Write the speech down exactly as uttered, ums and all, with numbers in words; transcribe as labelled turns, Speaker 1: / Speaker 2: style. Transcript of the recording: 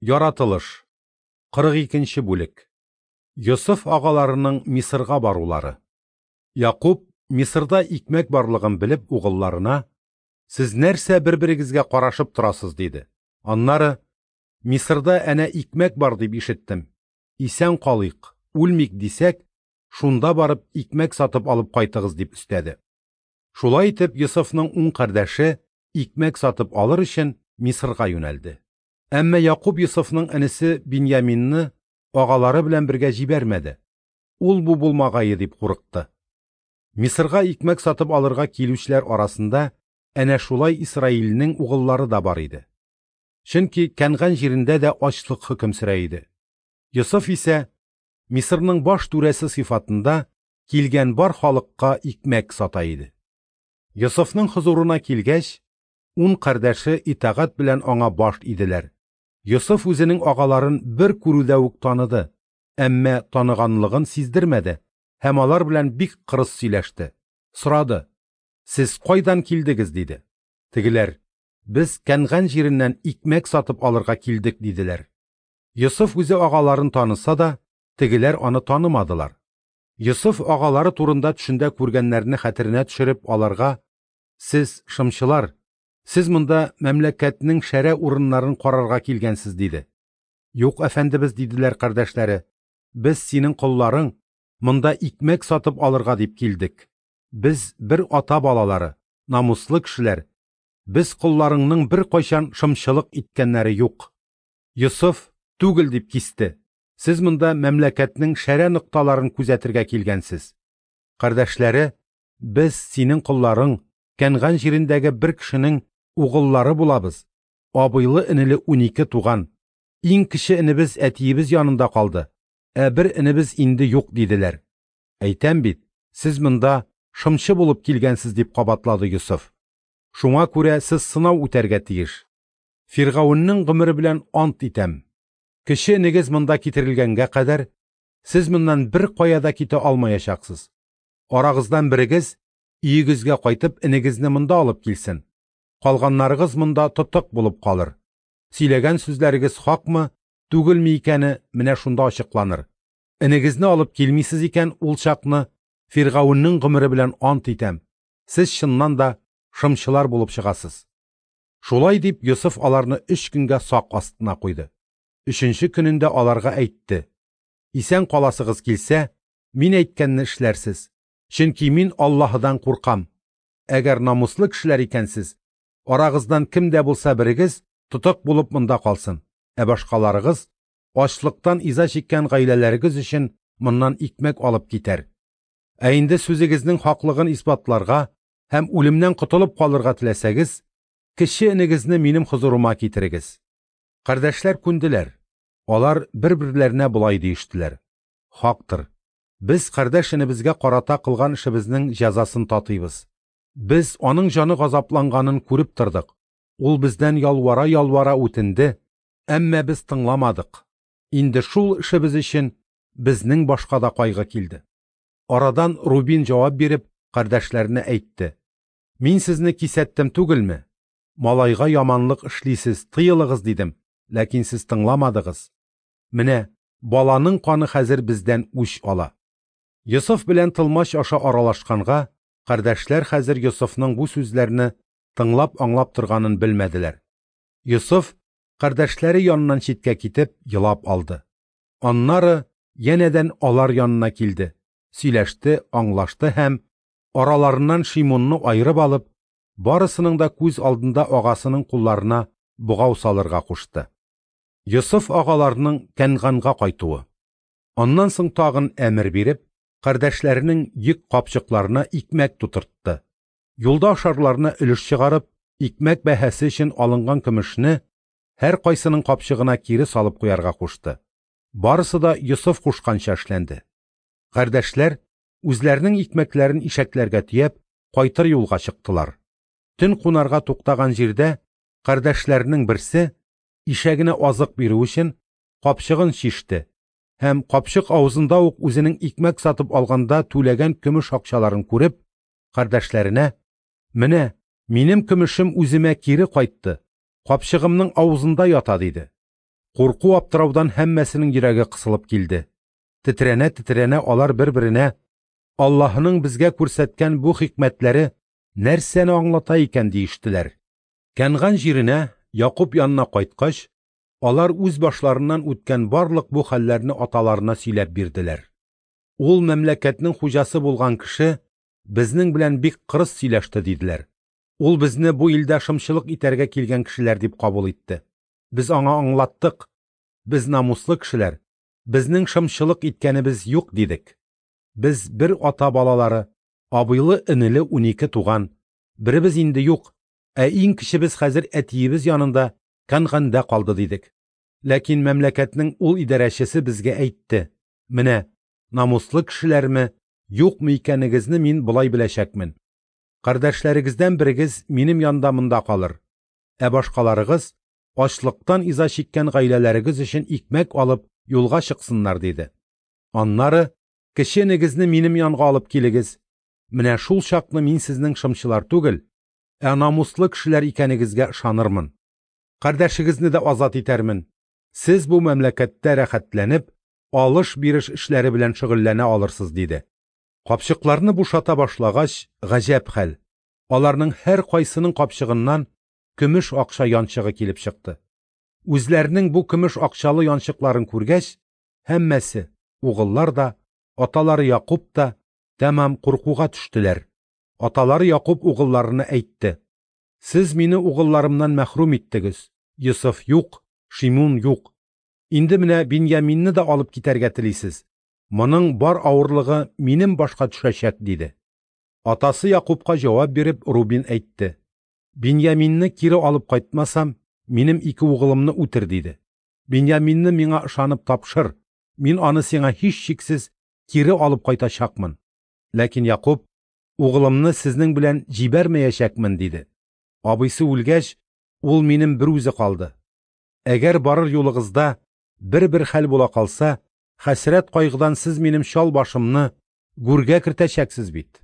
Speaker 1: Яратылыш. кырык икенче бүлек. Йосыф агаларының Мисырга барулары. Якуб, Мисырда икмәк барлыгын белеп, угылларына: «Сез нәрсә бер-берегезгә карашып торасыз?» – диде. Аннары: «Мисырда әнә икмәк бар дип ишеттем. Исән калыйк, үлмик дисәк, шунда барып икмәк сатып алып кайтыгыз», – дип өстәде. Шулай итеп, Йосыфның ун кардәше икмәк сатып алыр өчен Мисырга юнәлде. Әмма Якуб Йосыфның энесе Биньяминны агалары белән бергә җибәрмәде. Ул бу булмагае дип курыкты. Мисырга икмәк сатып алырга килүчеләр арасында әнә шулай Исраилнең угыллары да бар иде. Чөнки Кәнган җирендә дә ачлык хөкем сөрә иде. Йосыф исә Мисырның баш түрәсе сыйфатында килгән бар халыкка икмәк сата иде. Йосыфның хозурына килгәч, ун кардәше итагать белән аңа баш иделәр. Йосыф үзенең агаларын бер күрүдә үк таныды, әмма таныганлыгын сиздермәде һәм алар белән бик кырыс сөйләште. Сорады: «Сез кайдан килдегез?» – диде. Тегеләр: «Без Кәнган җиреннән икмәк сатып алырга килдек», – диделәр. Йосыф үзе агаларын таныса да, тегеләр аны танымадылар. Йосыф агалары турында төшендә күргәннәрне хәтеренә төшереп, аларга: «Сез шымчылар, сез монда мәмләкәтнең шәрә урыннарын карарга килгәнсез», – диде. «Юк, әфәндебез, – диделәр кардәшләре, – без синең колларың, монда икмәк сатып алырга дип килдек. Без бер ата балалары, намуслы кешеләр. Без колларыңның бер кайчан шымчылык иткәннәре юк». Йосыф: «Түгел», – дип кисте. «Сез монда мәмләкәтнең шәрә нокталарын күзәтергә килгәнсез». Кардәшләре: «Без синең колларың, Кәнган җирендәге бер кешенең угыллары булабыз. Абыйлы энеле унике туган. Иң кече энебез әтиебез янында калды, ә бер энебез инде юк», – диделәр. «Әйтәм бит, сез монда шымчы булып килгәнсез», – дип кабатлады Йосыф. «Шуңа күрә сез сынау үтәргә тиеш. Фиргавеннең гомере белән ант итәм. Кече энегез монда китерелгәнгә кадәр сез моннан бер кая да китә алмаячаксыз. Арагыздан берегез өегезгә кайтып энегезне монда алып килсен. Калганнарыгыз монда тотык булып калыр. Сөйләгән сүзләрегез хакмы, түгелме икәне менә шунда ачыкланыр. Энегезне алып килмисез икән, ул чакны Фиргавеннең гомере белән ант итәм. Сез чыннан да шымчылар булып чыгасыз». Шулай дип Йосыф аларны өч көнгә сак астына куйды. Өченче көнендә аларга әйтте: «Исән каласыгыз килсә, мин әйткәнне эшләрсез. Чөнки мин Аллаһыдан куркам. Әгәр намуслы кешеләр икәнсез, арагыздан кем дә булса берегез тотык булып монда калсын, ә башкаларыгыз ачлыктан иза чиккән гаиләләрегез өчен моннан икмәк алып китәр. Ә инде сүзегезнең хаклыгын исбатларга һәм үлемнән котылып калырга теләсәгез, кече энегезне минем хозурыма китерегез». Кардәшләр күнделәр. Алар бер-берләренә болай диештеләр: «Хактыр, без кардәш энебезгә карата кылган эшебезнең җәзасын татыйбыз. Без аның җаны газапланганын күреп тордык. Ул бездән ялвара-ялвара үтенде, әмма без тыңламадык. Инде шул эшебез өчен безнең башка да кайгы килде». Арадан Рубин җавап биреп, кардәшләренә әйтте: «Мин сезне кисәттем түгелме? Малайга яманлык эшлисез, тыелыгыз дидем, ләкин сез тыңламадыгыз. Менә баланың каны хәзер бездән үч ала». Йосыф белән тылмач аша аралашканга, кардәшләр хәзер Йосыфның бу сүзләрне тыңлап-аңлап торганын белмәделәр. Йосыф кардәшләре яныннан читкә китеп, елап алды. Аннары янәдән алар янына килде, сөйләште, аңлашты һәм араларыннан Шимунны аерып алып, барысының да күз алдында агасының кулларына богау салырга кушты. Йосыф агаларының Кәнганга кайтуы. Аннан соң тагын әмер биреп, кардәшләренең йөк капчыкларына икмәк тутыртты. Юлда ашарларына өлеш чыгарып, икмәк бәһасе өчен алынган көмешне һәр кайсының капчыгына кире салып куярга кушты. Барысы да Йосыф кушканча эшләнде. Кардәшләр үзләренең икмәкләрен ишәкләргә төяп, кайтыр юлга чыктылар. Төн кунарга туктаган җирдә кардәшләренең берсе, ишәгенә азык бирү өчен, капчыгын чиште һәм капчык авызында ук үзенең икмәк сатып алганда түләгән көмеш акчаларын күреп, кардәшләренә: «Менә минем көмешем үземә кире кайтты, капчыгымның авызында ята», – диде. Курку-аптыраудан һәммәсенең йөрәге кысылып килде. Тетрәнә-тетрәнә алар бер-беренә: «Аллаһының безгә күрсәткән бу хикмәтләре нәрсәне аңлата икән?» – диештеләр. Кәнган җиренә, Якуб янына кайткач, алар үз башларыннан үткән барлык бу хәлләрне аталарына сөйләп бирделәр. «Ул мәмләкәтнең хуҗасы булган кеше безнең белән бик кырыс сөйләште», – диделәр. «Ул безне бу илдә шымчылык итәргә килгән кешеләр дип кабул итте. Без аңа аңлаттык: без намуслы кешеләр, безнең шымчылык иткәнебез юк, дидек. Без бер ата балалары, абыйлы-энеле унике туган, беребез инде юк, ә иң кечебез хәзер әтиебез янында Кәнганда калды, дидек. Ләкин мәмләкәтнең ул идарәчесе безгә әйтте: менә, намуслы кешеләрме, юкмы икәнегезне мин болай беләчәкмен. Кардәшләрегездән берегез минем янда монда калыр, ә башкаларыгыз ачлыктан иза чиккән гаиләләрегез өчен икмәк алып юлга чыксыннар, диде. Аннары кече энегезне минем янга алып килегез. Менә шул чакны мин сезнең шымчылар түгел, ә намуслы кешеләр икәнегезгә ышанырмын. Кардәшегезне дә азат итәрмен. Сез бу мәмләкәттә рәхәтләнеп, алыш-биреш эшләре белән шөгыльләнә алырсыз, диде. Капчыкларны бушата башлагач, гаҗәп хәл: аларның һәркайсының капчыгыннан көмеш акча янчыгы килеп чыкты. Үзләренең бу көмеш акчалы янчыкларын күргәч, һәммәсе, угыллар да, аталары Якуб та, тәмам куркуга төштеләр. Аталары Якуб угылларына әйтте: «Сез мине угылларымнан мәхрүм иттегез. Йосыф юк, Шимун юк. Инде менә Биньяминны да алып китәргә телисез. Моның бар авырлыгы минем башка төшәчәк», – диде. Атасы Якубка җавап биреп, Рубин әйтте: «Биньяминны кире алып кайтмасам, минем ике угылымны үтер», – диде. «Биньяминны миңа ышанып тапшыр, мин аны сиңа һичшиксез кире алып кайтачакмын». Ләкин Якуб: «Угылымны сезнең белән җибәрмәячәкмен», – диде. «Абыйсы үлгәч, ул минем бер үзе калды. Әгәр барыр юлыгызда бер-бер хәл була калса, хәсрәт кайгыдан сез минем чал башымны гүргә кертәчәксез бит».